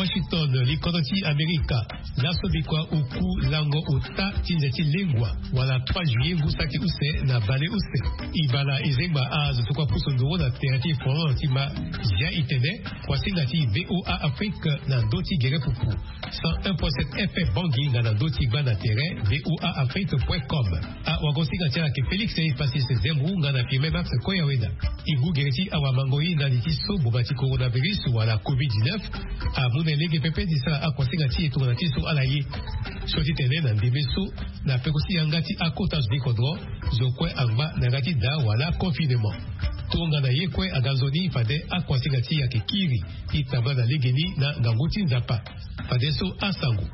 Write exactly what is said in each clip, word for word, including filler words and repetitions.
Washington, likodro ti Amerika. Laso bikua oku lango ota ti nze ti lengua wala trois juillet ngu saki use na baleuse. E bala e zengba azo so kue apusu nduru na tere ti folon ti ma. Zia e tene kuasinga ti VOA Afrique na ndö ti gere pupu. Cent un point sept FM Bangui nga na ndö ti gba na tere VOA Afrique point com. Awagosinga ti ala ayeke Félix Epasis Zembu nga na Firmin Max Koyaweda. E ngu gere ti awamango ye ndali ti so boma ti coronavirus wala covid dix-neuf amu na e lege pepe ti sara akuasinga ti e tongana ti so ala ye. So ti tene na ndembe so na peko ti yanga ti akota zo ti kodro, zo kue angba na yanga ti daa wala confinement. Tongana ye kue aga nzoni fade akuasinga ti e ayeke kiri ti tambula na legeni na ngangu ti Nzapa. Fadeso asango.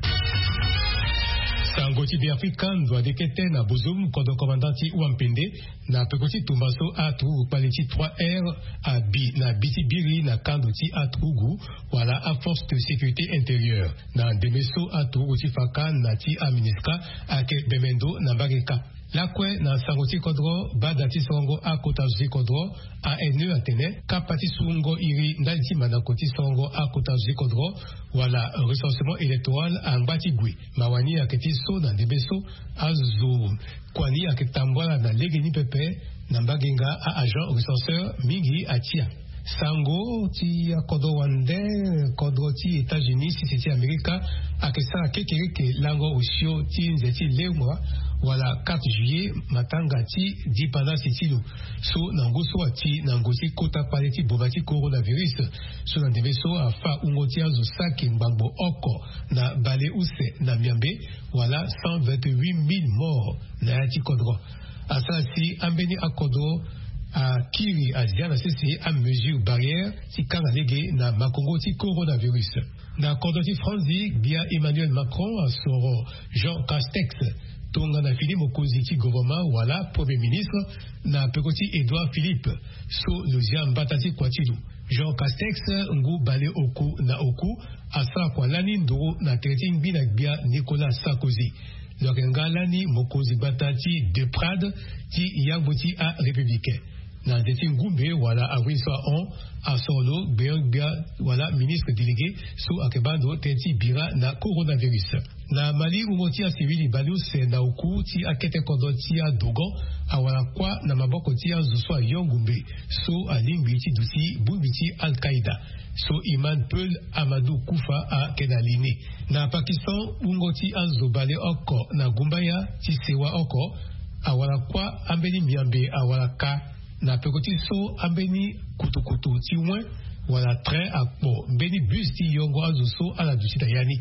Sango ti Beafrika, nduade kete na bozum kodro commandant ti Wampende na peko ti tumba so aturugu kpale ti trois R abi na bi ti biri na kando ti aturugu wala aforce de sécurité intérieure. Na ndembe so aturugu ti faka na ti aministra ayeke bemendo na mbage kâ. Lakue na sango ti kodro, bada ti sorongo akota zo ti kodro, ANE, atene kapa ti sungo iri ndali ti mandako ti sorongo akota zo ti kodro wala recensement électoral angba ti gue. Mawa ni ayeke ti so na ndembe so azo kua ni ayeke tambula na legeni pepe na mbage nga a-agent recenseur mingi atia. Sango ti akodro wande, kodro ti États-Unis, sese ti Amerika, ayeke sara kekereke lango osio ti nze ti lengua wala quatre juillet, matanga ti dipandasi ti lo. So na ngu so ati na ngu ti kota kpale ti boma ti coronavirus. So na ndembe so afa wungo ti azo saki ngbangbo oko na baleuse na miambe, wala cent vingt-huit mille morts na ya ti kodro. Asara si ambeni akodro akiri azia na sese amesure barrière ti kanga lege na makongo ti coronavirus. Na kodro ti Franzi, gbia Emmanuel Macron asoro Jean Castex tongana fini mokonzi ti gouvernement wala premier ministre na peko ti Édouard Philippe. So lo zia mbata ti kua ti lo. Jean Castex, ngu bale oku na oku, asara kua lani nduru na tere ti ngbi na gbia Nicolas Sarkozy. Lo yeke nga lani mokonzi gbata ti deux Prades ti yangbo ti arépublicain. Na nze ti ngumbe wala awe so ahon, asoro lo gbeon-gbia wala ministre délégué so ayeke baa ndo tënë ti bira na coronavirus. Na Mali, wungo ti asiwili baleuse na oku ti akete kodro ti adogon awara kuâ na maboko ti azo so ayo ngumbe so alingbi ti duti bongbi ti Al-Qaïda. So Imam Peul Amadou Kufa ayeke na li ni. Na Pakistan, wungo ti azo baleoko na gumbaya ti sewa oko awara kuâ, ambeni miambe awara kâ na peko ti so ambeni kutukutu ti wen wala train akpo mbeni bus ti yongo azo so ala duti na ya ni.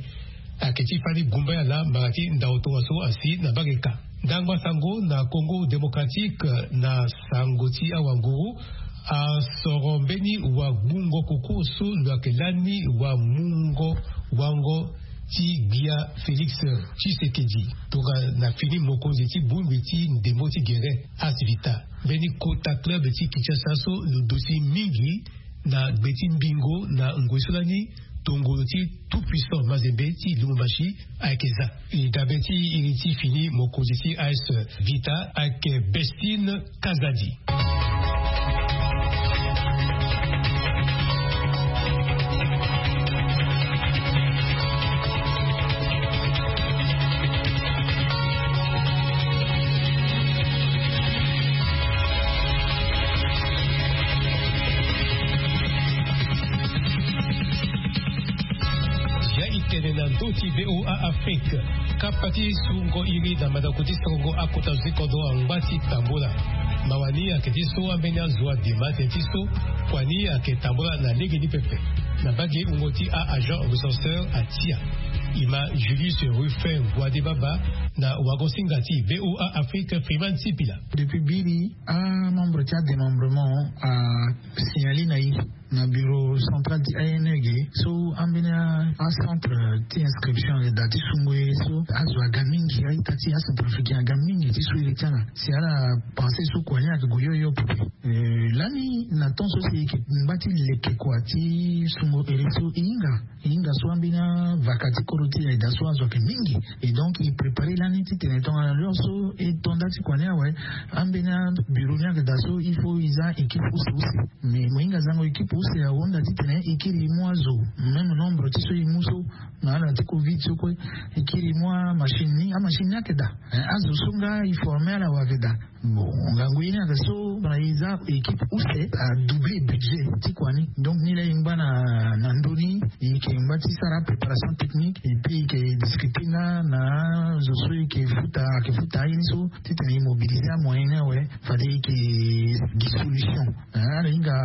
Ayeke ti fani gumbaya laa mbara ti ndau tongaso asi na mbage kâ. Ndangba sango na Congo Démocratique, na sango ti awanguru, asoro mbeni wagbungo koko so lo yeke lani wamungo wango ti gbia Félix Tshisekedi tongana fini mokonzi ti bongbi ti ndembo ti gere, Asvita. Mbeni kota club ti Kinshasa so lo duti mingi na gbe ti mbingo na ngoi so lani, tongolo ti Tout Puissant Mazembe ti Lubumbashi ayeke za. E dabe ti iri ti fini mokonzi ti A S Vita ayeke Bestine Kazadi. Ya e tene na ndö ti VOA Afrique. Kapa ti sungo iri na mandako ti sorongo akota zo ti kodro angba ti tambula. Mawa ni ayeke ti so ambeni azo adema tënë ti so kua ni ayeke tambula na lege ni pepe. Na mbage wungo ti a-agent recenseur atia. E ma Julius Ruffin Guadé Baba na wagosinga ti VOA Afrique Freeman Sipila. Depuis biri, amembre ti adémembrement asignalé na e na bureau central ti A N E ge so ambeni acentre ti inscription ayeke daa ti sungo e so azo aga mingi, a-ita ti acentrafricain aga mingi ti so e le ti ala. Si ala pensé so kua ni ayeke gue hio hio pepe. Eh, lani na temps so si e yeke ngba ti leke kua ti sungo ere so e hinga. E hinga so ambeni avaka ti kodro ti e ayeke daa so azo ayeke mingi. Et donc e préparé lani titene tongana lo so e to nda ti kua ni awe, ambeni abureau ni ayeke daa so il faut e za équipe use use. Mais mo hinga zango équipe Use ahunda titene e kiri mu azo, même nombre ti so e mu so na ala ti covid so kue, e kiri mu amachine ni, amachine ni ayeke daa. Azo so nga e forme ala wa ayeke daa. Bon, ngangu ye ni ayeke so na e za équipe use a double budget ti kua ni. Donc ni laa e ngba na ndoni, e yeke ngba ti sara préparation technique et puis e yeke discuter nga na zo so e yeke futa, ayeke futa aye ni so titene e mobiliser amoyen ni awe. Fade e yeke gi solution. Ala hinga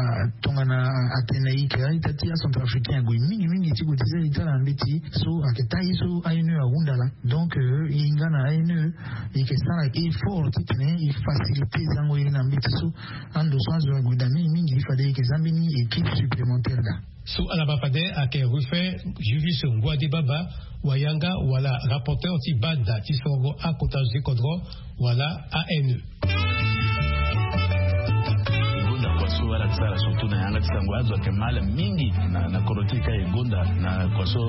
tongana atene e yeke a-ita ti acentrafricain ague mingi mingi ti gue ti za e ti ala na mbeti so ayeke taa ye so aine ahunda laa. Donc e hinga na aine e yeke sara effort titene e faciliter zango ye ni na mbeti so ando so azo ague daa mingi mingi fade e yeke za mbeni équipe supplémentaire daa. So ala ma fade ayeke Ruffin Julius Ngouadé Baba, wayanga wala rapporteur ti banda ti sorongo akota zo ti kodro wala aine. Gonda kua so ala sara surtout na yanga ti sango azo ayeke mal mingi na kodro ti e ka e gonda na kua so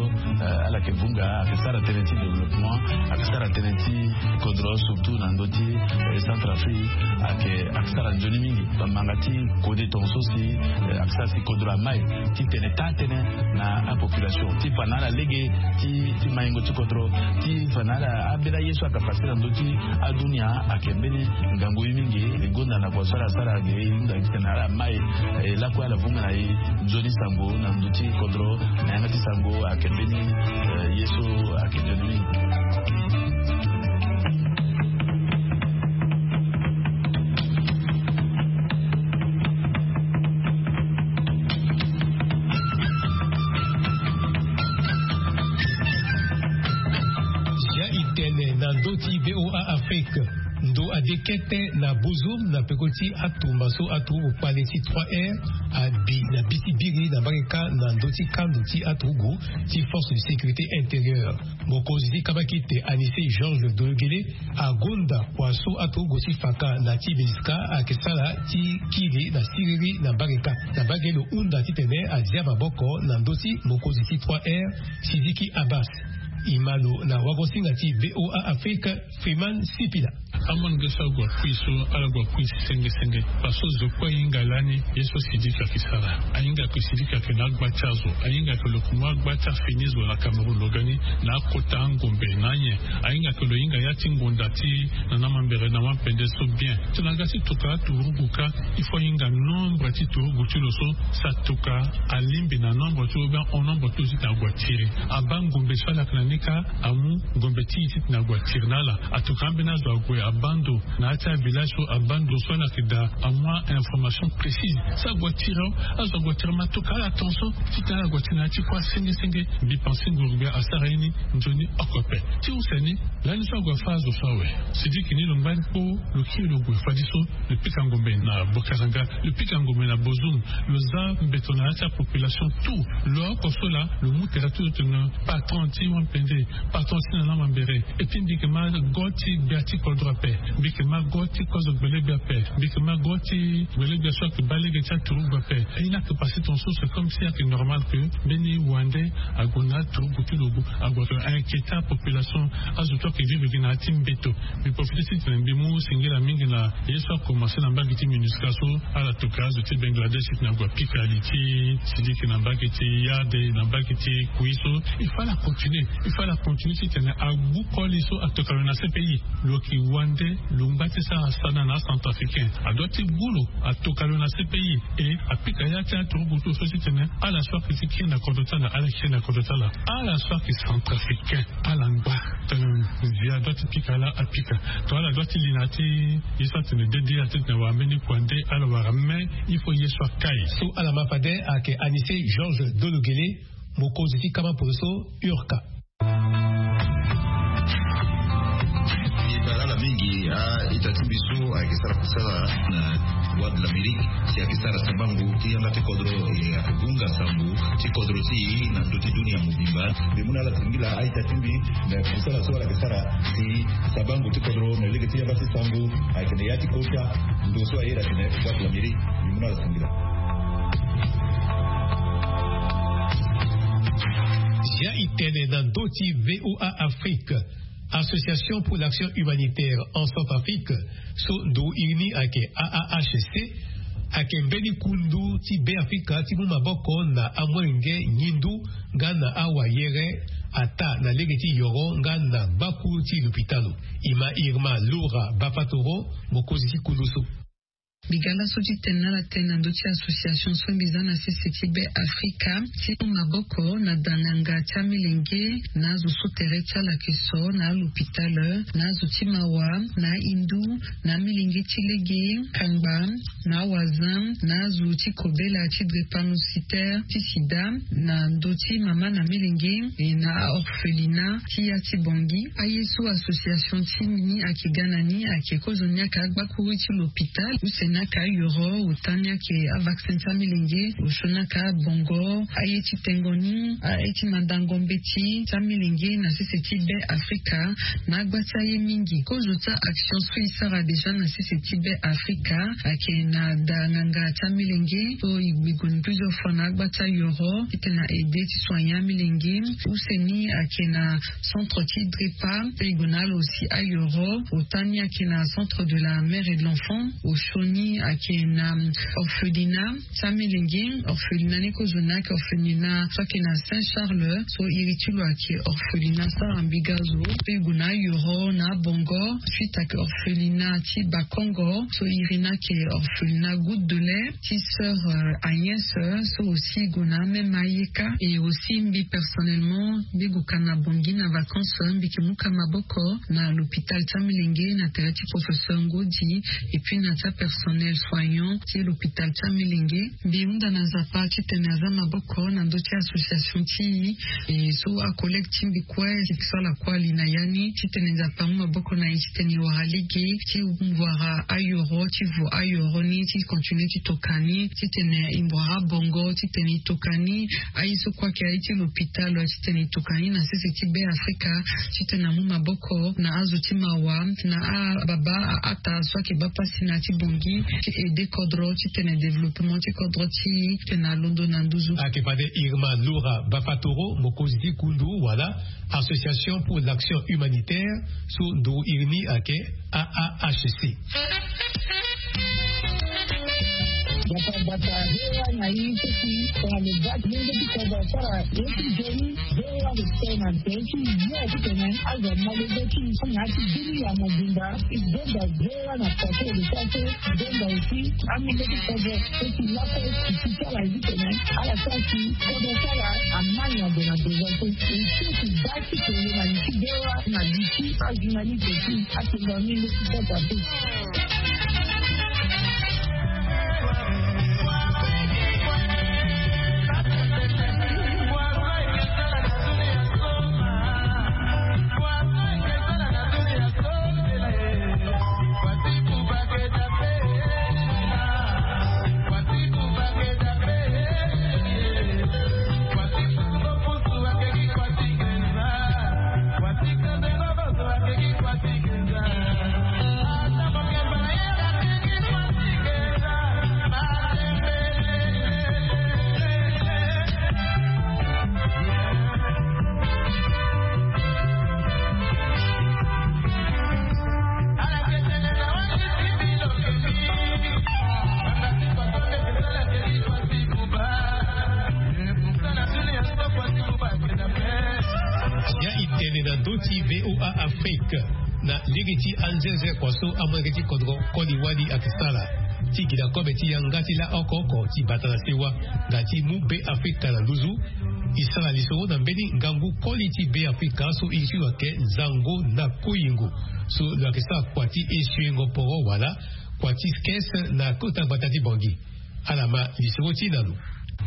ala yeke vunga ayeke sara tënë ti développement, ayeke sara tënë ti kodro surtout na ndö ti Centrafrique. Ayeke sara nzoni mingi bamanga ti kode tonga so si ayeke sara si kodro amai titene taa tënë na apopulation ti fa na ala lege ti maingo ti kodro ti fa na ala ambeni aye so ayeke pase na ndö ti adunia. Ayeke mbeni ngangu ye mingi e gonda na kua so ala sara ge e hunda titene ala mai e lakue ala vunga na e nzoni sango na ndö ti kodro na yanga ti sango ayeke mbeni ye so ayeke nzoni mingi. Zia e tene na ndö ti VOA Afrique. Ndo ade kete na Bozoum na peko ti atumba so aturugu kpale ti trois R abi na bi ti biri na mbage kâ na ndö ti kando ti aturugu ti force de sécurité intérieure. Mokonzi ti kabakite Anicet Georges Dologuélé agonda kua so aturugu ti fa kâ na ti Beniska ayeke sara ti kiri na siriri na mbage kâ. Na mbage lo hunda titene azia maboko na ndö ti mokonzi ti trois R Sidiki Abbas. E ma lo na wagosinga ti VOA Afrique, Freeman Sipila. Amolenge so agua kui so ala gua kui senge senge. Parce que zo kue ahinga lani ye so Sidiki ayeke sara. Ahinga ke Sidiki ayeke na agba ti azo. Ahinga ke lo ke mu agba ti afini zo na Cameroun lo ga ni na akota angombe na anyen. Ahinga ke lo hinga ya ti ngonda ti na na mambere na wampende so bien. Tongana aga ti toka aturugu kâ, il faut ahinga nombre ti turugu ti lo so sa toka alingbi na nombre ti lo ou bien en nombre ti lo titene agua tiri. Abaa ngombe so ala yeke na ni kâ amu ngombe ti e titene agua tiri na ala. Atoka ambeni azo ague abaa ndo na ya ti avillage so abaa ndo so ala yeke daa amu a-information précise. So agua tiri awe, azo agua tiri ma atoka ala tongaso titene ala gua tiri na ya ti kua senge senge. Mbi pense nguru gbia asara ye ni nzoni oko ape. Ti use ni, lani so agua fâ azo so awe, Sidiki ni lo ngba ni kpo, lo kiri lo gue fadeso lo pika ngombe na Bokaranga, lo pika ngombe na Bozoum, lo za mbeto na ya ti apopulation tout. Lo oko so laa lo mu tere ti lo tene patron ti wampende, patron ti na na mambere. Et puis mbi yeke ma go ti gbia ti kodro ape, mbi yeke ma go ti kozo gbelegbia ape, mbi yeke ma go ti gbelegbia so ayeke baa lege ti aturugu ape. Aye ni ayeke pase tongaso, c'est comme si ayeke normal que mbeni wande ague na aturugu ti lo ague inquiéter apopulation. Azo so ayeke vivre gi na ya ti mbeto. Mbi profite titene mbi mu singila mingi na ye so akomanse na mbage ti MINUSCA so ala toka azo ti Bangladesh titene agua pika li ti Sidiki na mbage ti Yade na mbage ti Kui so. Il faut ala continuer, il faut ala continuer titene agbu koli so atoka lo na CPI. Lo yeke wande, lo ngba ti sara sana na acentrafricain. Adua ti gbu lo atoka lo na CPI. E apika ya ti aturugu ti lo so titene ala so ayeke ti kiri na kodro ti ala ala kiri na kodro ti ala. Ala so ayeke centrafricain ala ngba tene nzia adua ti pika laa apika. To ala dua ti li na ya ti ye so atene dede ala titene awara mbeni kua nde ala wara me. Il faut ye so akai. So ala ma fade ayeke Anicet Georges Dologuélé, mokonzi ti kama poroso, URCA. E baa ala mingi a-ita ti mbi so ayeke sara kusala na Voix de l'Amérique, si ayeke sara sabango ti yanga ti kodro, e ayeke gunga sango ti kodro ti e na ndö ti dunia mobimba. Mbi mu na ala singila a-ita ti mbi na kusala so ala yeke sara si sabango ti kodro na lege ti yanga ti sango ayeke na ya ti kota ndo so aye atene Voix de l'Amérique. Mbi mu na ala singila. Zia e tene na ndö ti VOA Afrique. Association pour l'Action Humanitaire en Centrafrique, so ndo iri ni ayeke AAHC, Ayeke mbeni kundu ti Beafrika ti mu maboko na amolenge ngindu nga na awayere, ataa na lege ti yoro nga na gbakuru ti lopitalo. Ima Irma Lura Bafatoro, mokonzi ti kundu so. Mbi ga laso ti tene na ala tënë na ndö ti association so mbi za na sese ti Beafrika ti mu maboko na danganga ti amilenge na azo so tere ti ala ayeke so na alopitalo, na azo ti mawa, na ahindu, na amilenge ti lege, kangba, na awazin, na azo ti kobela ti drépanocytaire ti sida, na ndö ti mama na milenge, e na aorphelina ti ya ti Bangui. Aye so association ti ni ayeke ga na ni ayeke kozo ni ayeke agbakuru ti lopitalo, use ni ayeke ayoro, ota ni ayeke avaccin ti amilenge, osio ni ayeke abongo, aye ti tengo ni, aye ti mandango mbeti ti amilenge na sese ti Beafrika, na agba ti aye mingi. Kozo ti a-action so e sara déjà na sese ti Beafrika ayeke na da nganga ti amilenge so e gue plusieurs fois na agba ti ayoro titene na aide ti soigner amilenge. Use ni ayeke na centre ti drepa so e gue na ala aussi ayoro. Ota ni ayeke na centre de la mère et de l'enfant. Osio ni ayeke na orphelina ti amilenge. Orphelina ni kozo ni ayeke orphelina so ayeke na Saint Charles, so iri ti lo ayeke orphelina sara mbi ga zo. So e gue na ayoro na abongo. Suite ayeke orphelina ti Bakongo, so iri ni ayeke orphelina goutte de lait ti sœur, euh, Agnès, so aussi e gue na amême ayeka. Et aussi mbi personnellement mbi gue ka na Bangui na vacances, mbi yeke mu ka maboko na l'hôpital ti amilenge na tere ti professeur Ngodi, et puis na ti apersonnel soignant ti l'hôpital ti amilenge. Mbi hunda na Nzapa titene aza maboko na ndö ti association ti e, e so acollègue ti mbi kue ti sala kue ali na ya ni, titene Nzapa amu maboko na e titene e wara lege ti wara ayoro, ti vo ayoro ni, ti continue ti toka ni, titene e wara bongo, titene e toka ni. Aye so kue ayeke aye ti lopitalo, titene e toka ni na sese ti Beafrika, titene amu maboko na azo ti mawa, na ababa, aata so ayeke baa pasi na ya ti Bangui, ti aide kodro titene développement ti kodro ti e titene alondo na nduzu. Ayeke fade Irma Lura Bafatoro, mokonzi ti kundu wala Association pour l'Action Humanitaire, so nduru iri ni ayeke A A H C. Bata bata, V O A na i ti si tongana lo baa ti lenge ti kodro asara ye ti nzoni, V O A lo tene na nzoni ti yo titene azo amolenge ti i so na ya ti bini ya mobimba. I zonza V O A na poto lo sara so, i zonza aussi amolenge ti kodro so ti laso ti si ti ala ye titene ala sara si kodro ti ala ama niongo na besoin so. I so ti baa ti tene na li ti V O A na li ti ajournaliste ti atonga mingi ti kota te. Ya i tene na ndö ti V O A Afrique na lege ti anzenze kua so amolenge ti kodro koli wali ayeke sala ti gi na kobe ti yanga ti la oko oko ti bata na sewa nga ti mu Beafrika na nduzu. I sara lisoro na mbeni ngangu koli ti Beafrika so iri ti lo ayeke Nzango na Koyingo, so lo yeke sara kua ti esuengo poro wala kua ti kese na kota gbata ti Bangui. Ala ma lisoro ti na lo.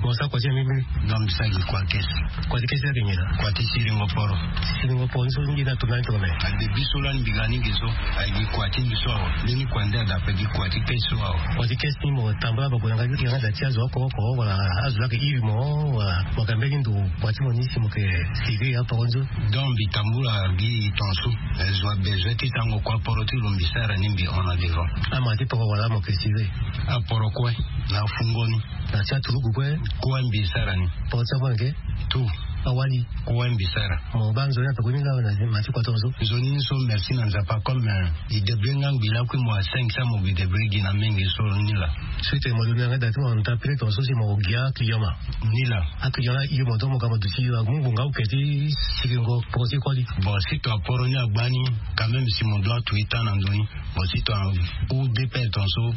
Mo sara kua ti amemi. Non, mbi sara gi kua ti kese. Kua ti kese ayeke nyen laa? Kua ti siringo poro. Siringo poro ni so nyen laa, tongana ni tongana? Ade biso lani mbi ga ni ge so, ayeke gi kua ti mbi so awe. Mbeni kua nde adape gi kua ti kese so awe. Kua ti kese ni mo tambula mo gue na yanga ti yanga da ti azo oko oko wala azo laa ayeke iri mo, wala mo yeke mbeni ndo kua ti mo ni si mo yeke siri aporo nzoni? Donc mbi tambula gi tongaso, eh, zo abezoin ti sarango kua poro ti lo, mbi sara ni, mbi hon na devant. Ama ti poro wala mo yeke siri? Aporo kue na afungo ni. Na ti aturugu kue? Kue mbi sara ni. Poro ti avange? Tout. Awali. Kowa mbisara. Mo ba nzoni na tokoni nga na ma ti kua tongaso. Nzoni ni so, merci na Nzapa comme, eh, i debre nga ngbi lakui mo asengisa mo bi debre gi na mingi so ni la. Suite mo londo na nga da ti mo nta pele tongaso si mo gia client ma. Ni la. A client la yo mo do mo ga mo duti yo agbongbo nga oke ti sikingo poko ti koli. Bon, si to aporo ni agba ni, quand même si mo doit tuita na ndoni. Mo si to a ou de pele tongaso.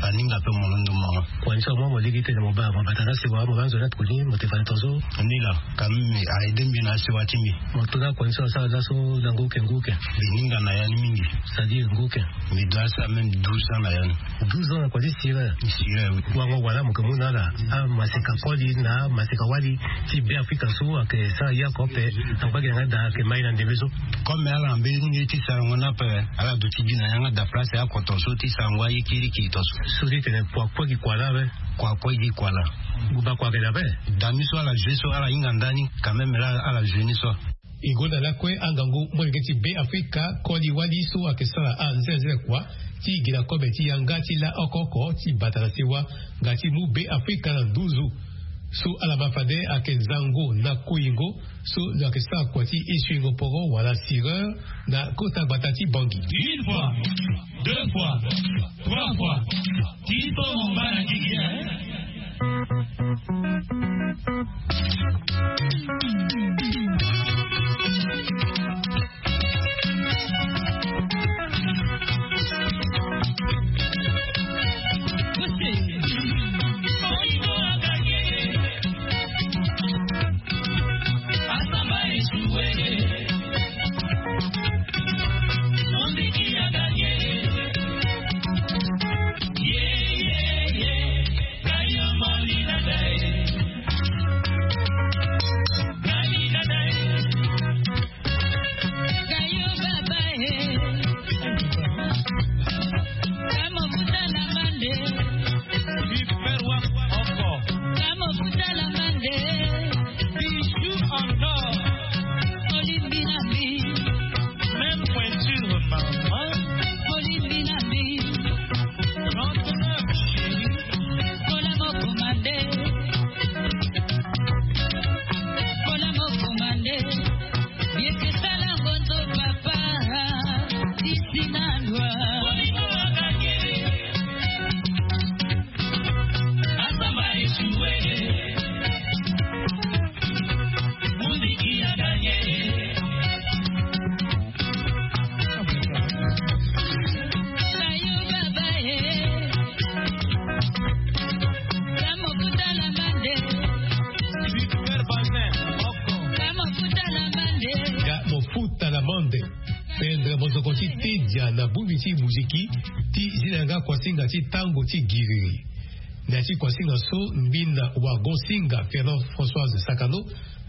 Aninga pe mo londo mo. Kua ni so mo mo ligi tene mo ba mo bata na sewa mo ba nzoni na tokoni mo te fani tongaso. Ni la. Quand même a aide mbi na sewa ti mbi. Mo to na kua ni so asara laso na nguke nguke. Mbi ninga na ya ni mingi. C'est-à-dire nguke. Mbi doit asara même douze ans na ya ni. Douze ans na kua ti sira. Sira, oui. Wango wala mo ke mu na ala. Ah, maseka koli na maseka wali ti Be Afrika so ake sara ya ko pe. Angba gi na nga da ake mai na ndembe so. Comme ala mbe ni ti sara ngo na pe. Ala duti gi na yanga da place ya ko tongaso ti sara ngo aye kiri kiri tongaso. So ti tene kua kue gi kua la be. Kua kue gi kua la. Guba kua ke da be. Dami so ala jeu so ala hinga ndani. Quand même la ala jeu ni so. E gonda lakue angangu molenge ti Be Afrika koli wali so ake sara anzenze kua ti gi na kobe ti yanga ti la oko oko ti bata na sewa nga ti mu Be Afrika na nduzu. So ala ma fade ake zango na koyingo so lo ake sara kua ti esuingo poro wala sireur na kota gbata ti Bangui. Une fois, deux fois, trois fois. Ti so mo ba na gigi, hein? Bijou en or. Même pointure, maman. Trente-neuf, chérie. Ga mo futa na mande. Pendre mozoko ti tedia na bongbi ti muziki ti zi na yanga kuasinga ti tango ti giriri. Na ya ti kuasinga so, mbinda wagon singa Fernand Françoise Sakano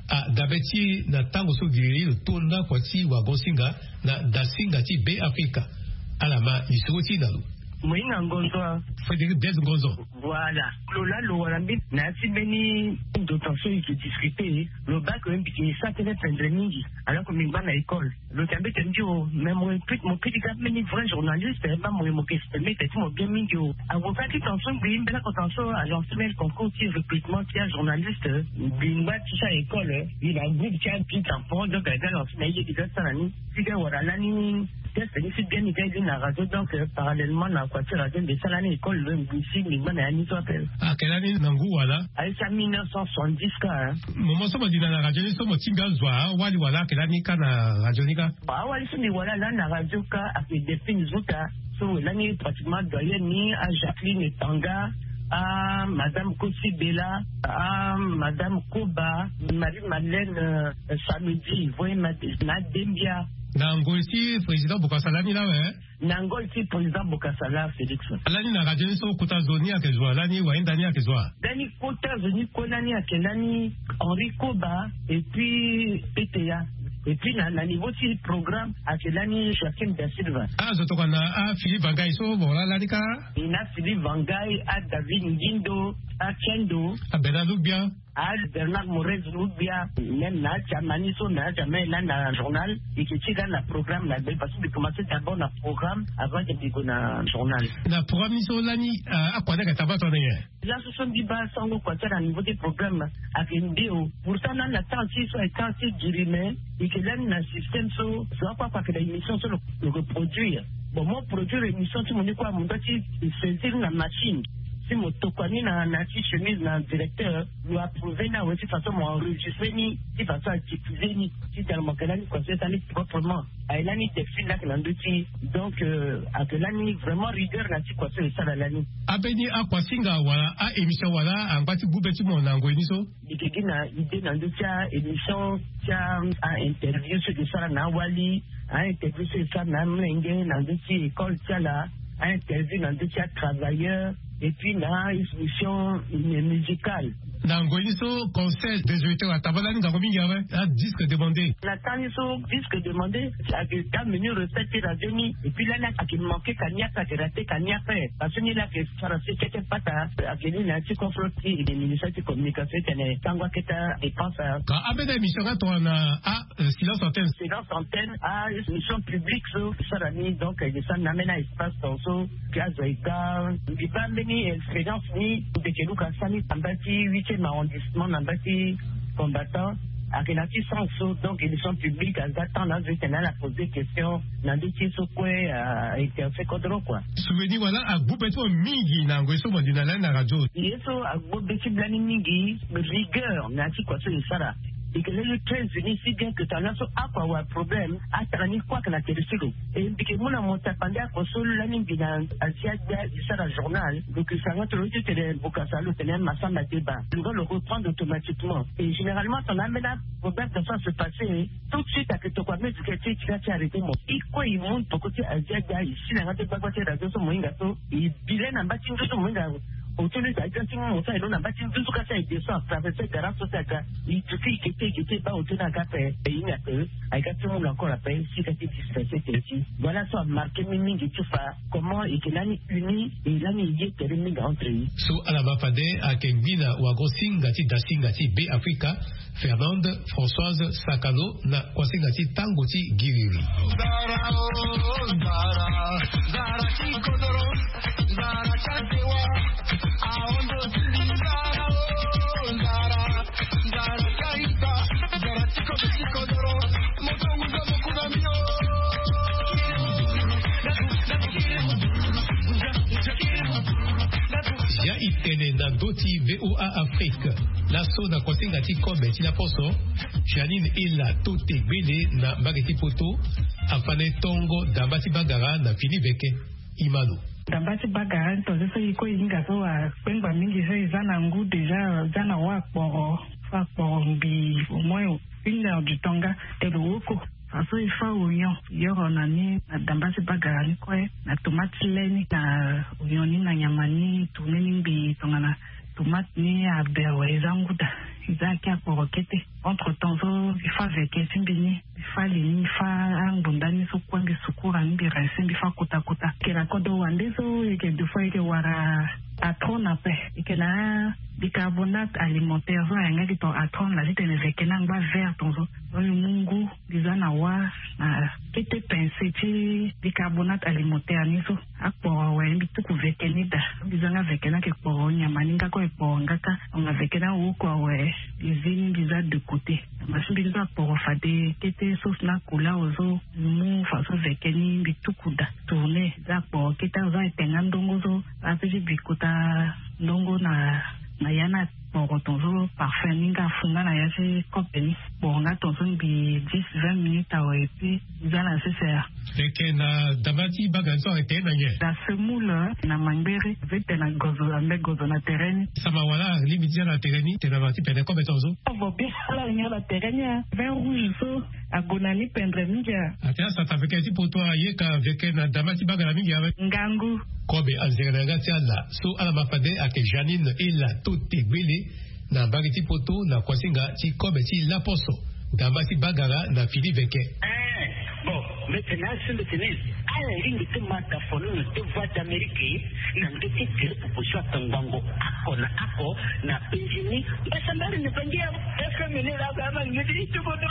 adabe ti na tango so giriri lo to nda kua ti wagon singa na dasinga ti Be Afrika. Ala ma lisoro ti na lo. Moyinga Ngonzo. Frédéric Blaise Ngonzo. Voilà. Lo la lo wara mbi na ya ti mbeni ndo tan so e ke discuter, lo baa ke mbi ke sa tënë pendre mingi. Alors que mbi ngba na école. Lo tene mbeti mbi o, mais mo, mo peti ka mbeni vrai journaliste, eh, baa mo, mo ke meti ti mo bien mingi o. Avocat ti tan so ngbii mbela ko tan so a lancer mbeni concours ti recrutement ti ajournaliste, eh, mbi ngba ti sa école, eh, mbi na groupe ti api tan fort, donc aga lancer na ye ti ga sara ni. Ti ga wara lani test ni si bien ni ga ye na radio, donc, euh, parallèlement na kua ti radio mbi sara ni école, euh, mbi si mbi ngba na ya ni so ape. Ake lani na ngu wala? Aye sa mille neuf cent soixante-dix ka, hein. Moment so mo dinda na radio ni so mo tinga zo awali wala ake lani ka na radio ni ka? Awali so mbi wala lani na radio ka ake Delphine Zuta. So lani pratiquement doyenne ni, a Jacqueline Tanga, a madame Kosi Bella, a madame Koba, Marie Madeleine, euh, Samedi, voye ma, na Dembia. Na ngoi ti président Bokassa lani lawe, hein? Na ngoi ti président Bokassa la, Félix. Lani na radio ni so kota zo ni ayeke zo wa, lani wahinda ni ayeke zo wa? Lani kota zo ni kue lani ayeke lani Henri Koba, et puis P T A. Et puis na, na niveau ti programme ayeke lani Joaquim da Silva. Ah, zo tokua na, ah, Philippe Vangai so mo wara lani ka? E na Philippe Vangai, a David Ngindo, a Kendo. A Bernard Logbia. Ah, Bernard Morez, ou bien même na jamani so na jamai lani na journal. Eke ti lani na programme na be parce que bi commencer d'abord na programme avant de bigo na journal. Na programme ni so lani, akua ni ake taba tongana nyen? Laso so mbi baa sango kua ti ala na niveau ti programme ake nde o. Pourtant lani na temps ti so aye temps ti giri me. Eke lani na système so zo akua kua ake na émission so lo reproduire. Bon mo produire émission ti mo ni kua mo doit ti saisir na machine. Si mo tokua ni na na ti chemise na directeur, lo approuver ni awe ti façon mo enregistrer ni ti façon a diffuser ni. Ti tala mo ake lani kua so e sara ni proprement. Aye lani textile lake na ndö ti. Donc ake lani vraiment rigueur na ti kua so e sara lani. Ambeni akuasinga wala a émission wala angba ti gbu be ti mo na ngoi ni so? Mbi ke gi na idée na ndö ti a émission ti a interview so eke sara na awali, a interview so eke sara na amlenge na ndö ti école ti ala, a interview na ndö ti a travailleur, et puis na émission musicale. Na ngoi ni so conseil des auditeurs ataba lani ngangu mingi awe. A disque demandé. Na temps ni so disque demandé ake ga menu recette ti radio ni. Et puis lani ake manquer ka ni ape ake rater ka ni ape. Parce que ni lake sara si kete pata ake ni na ti confront ti ministère ti communication ti tene sango akete a dépense. Ka ambeni émission nga tongana a silence antenne. Silence antenne a émission publique so sara ni donc eke sara ni na ambeni a espace ton so. Piazza ega mbi baa mbeni expérience ni. Ndeke luka sani na mba ti huitième arrondissement na mba ti combattant. Ake na ti sens so donc émission publique aza temps na azo etene ala poser question na ndö ti ye so kue a interesse kodro kua. Souvenir wala agbu be ti mo mingi na ngoi so mo li na lani na radio? Ye so agbu be ti mbi lani mingi rigueur na ya ti kua so e sara. Eke lani très unis si bien que tana so akua awe problème atara ni kue ake na tere ti lo. E mbi ke mu na mo tapande akua so lani mbi na azi agbia e sara journal. Lo ke sara nga toro ti tene bokasa lo tene masamba deba lo nga lo reprendre automatiquement. Et généralement tana ambeni aproblème ton so ase passer tout de suite ake tokua musique ti e ti nga ti arrêter mo. E kue e mu poko ti azi agbia e si na nga ti gbagba ti radio so mo hinga so e bi le na mba ti nduzu mo hinga. Otoni za ita ti mo sa ino na mba ti nduzu ka sa e descend atraverser gara so ti aga. E duti e kete e kete e baa otoni aga ape e hinga ape. Aye ka ti mu na encore ape si ka ti dispenser tene ti. Voilà so amarquer mi mingi ti fa comment eke lani uni e lani e ye tere mingi entre ye. So ala ma fade ake ngbina wago singa ti dasinga ti be afrika, Fernande Françoise Sakalo na kuasinga ti tango ti giriri. Ya e tene na ndö ti VOA Afrique. Laso na kuasinga ti kobe ti laposo, Janine Ela Tote Gbele na mbage ti Poto afa na e tongo damba ti bagara na fini veke. Imano. Damba ti bagara ni tonze so e kue e hinga so akpengba mingi so e za na ngu déjà za na wa akporo. Fa akporo mbi au moins une heure du temps nga te lo woko. Faso e fa oignon yoro na ni na damba ti bagara ni kue na tomate ti le ni na oignon ni na nyama ni tourner ni ngbii tongana tomate ni aber wala e za ngu daa. E za ake akporo kete. Entre temps so e fa veke ti mbi ni. Mbi fa li ni mbi fa angbonda ni so kue mbi sukura ni mbi rincer mbi fa kota kota. Eke na kodro wande so eke deux fois eke wara atron ape. Eke na bicarbonate alimentaire so ayanga gi ton atron la ti tene veke ni angba vert ton so. Donc mbi mu ngu mbi za na wa na kete pince ti bicarbonate alimentaire ni so. Akporo awe mbi tuku veke ni daa. Mbi za nga veke ni ake kporo nyama ni nga kue e kporo nga kâ. Anga veke ni awoko awe mbi zi ni mbi za de côté. Masi mbi ni so akporo fade kete sauce na couleur so. Mbi mu faso veke ni mbi tuku daa tourner za akporo kete azo aye tenga ndongo so. Ape ti bi kota ndongo na na ya ni akporo ton so parfum ni nga afu nga na ya ti kope ni. Kporo nga ton so mbi dix vingt minutes awe et puis za na sese. Eke na damba ti bagara ni so ayeke na nyen? Na semoule na mangbere. Ape tene na gozo ambe gozo na tere ni. Sama wala alingbi ti za na tere ni tene na ma ti pene kobe ton so. Avo bien ala nyen na tere ni a vin rouge so ague na ni pendre mingi a. Ate asata veke ti poto ayeka veke na damba ti bagara mingi awe. Ngangu. Kobe anzere na yanga ti ala so ala ma fade ayeke Janine Ela Tote Gbele na mbage ti poto na kuasinga ti kobe ti laposo. Damba ti bagara na fini veke. Bon, mete na asembe tene ala lingbi ti ma dafono na deux voix d'Amérique na ndö ti tere proposition atangbango. Kona ako na pejini. Basambari ni bangia. Est-ce que mene la gama ngidi itubodo?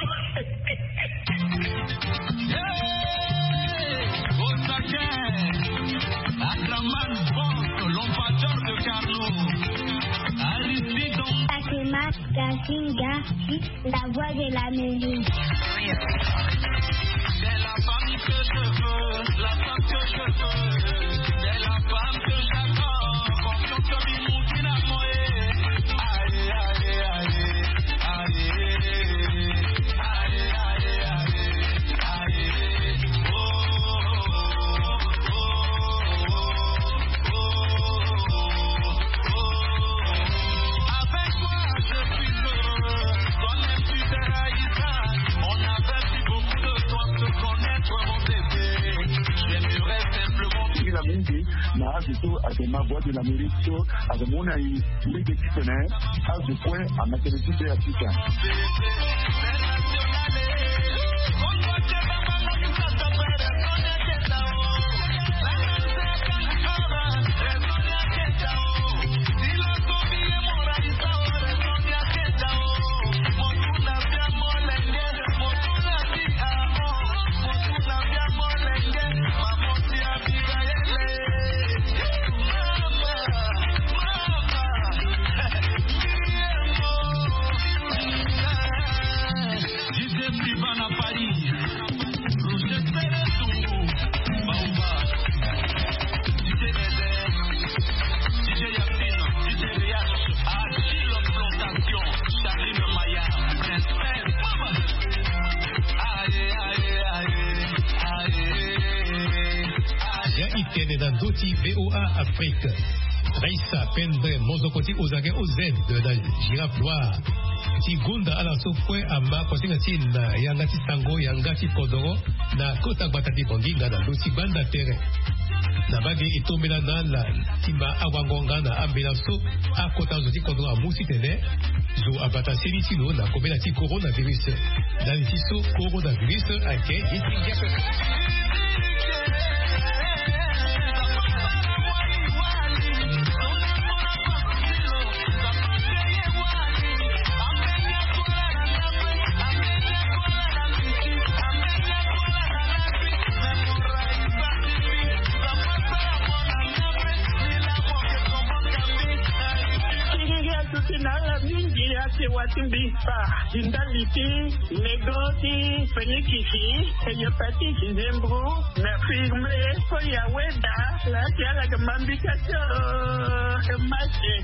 Akraman Bronze, l'ambassadeur de Carlo. Aristide. Fatima Gazinga, la voix de l'Amérique. C'est la femme que je veux, la femme que je veux. C'est la femme que j'adore. Confiance comme une moutine à moi. Aïe, aïe, aïe, aïe. Aïe, aïe, aïe, aïe. Mingi na azo so ayeke ma Voix de l'Amérique so ayeke mu na e lege ti tene azo kue ama tene ti be asika. Ya e tene na ndö ti V O A Afrique. Raissa Pendre, mozoko ti Ozage O Z de la Girafe Noire, ti gonda ala so kue ama kosinga ti e na yanga ti sango, yanga ti kodoro na kota gbata ti Bangui nga na ndö ti gbanda tere. Na mbage e tombela na ala ti ma awango nga na ambela so akota zo ti kodro amu titene zo abata seni ti lo na kobela ti coronavirus. Ndali ti so coronavirus ayeke ye ti ngia pepe. Ti ngia so ti na ala mingi ake wa ti mbi kpa ti ndali ti nego ti fenikisi, hepatite, nzembro, na firme, so ya weda la ti ala yeke ma mbi ka ti o mate.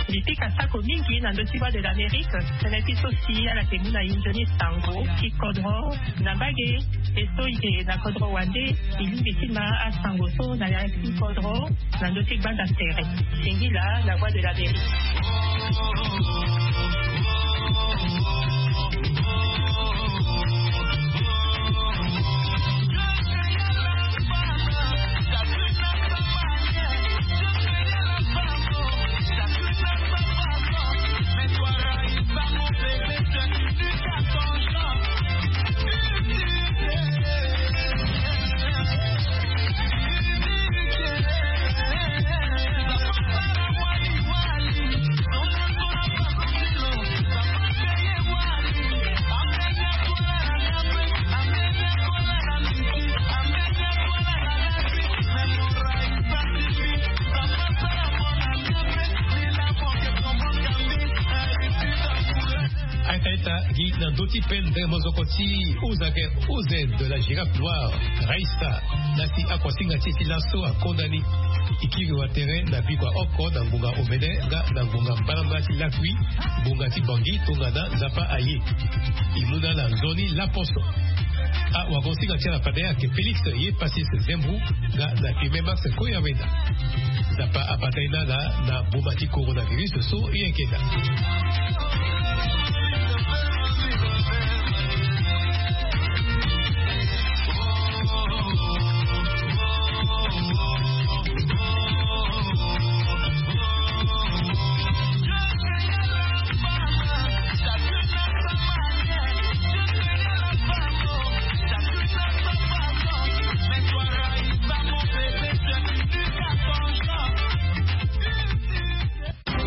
Mbi pika sako mingi na ndö ti Voix de l'Amérique, tënë ti so si ala yeke mu na e nzoni sango ti kodro na mbage. E so e yeke na kodro wande, e lingbi ti ma asango so na ya ti kodro na ndö ti gbanda tere. Singila, la Voix de l'Amérique. Ayeke ita gi na ndö ti pendre mozoko ti Ozage O Z de la Girafe Noire, Raissa, na si akuasinga ti e ti laso akonda ni. E kiri wa tere na bikua oko na ngonga omene nga na ngonga mbalambala ti lakui, ngonga ti Bangui tongana Nzapa aye. E mu na ala nzoni laposo. Awagosinga ti ala fade ayeke Félix Yepassis Zembou nga na Firmin Max Koyaweda. Nzapa abata ye na ala na boma ti coronavirus so e yeke daa.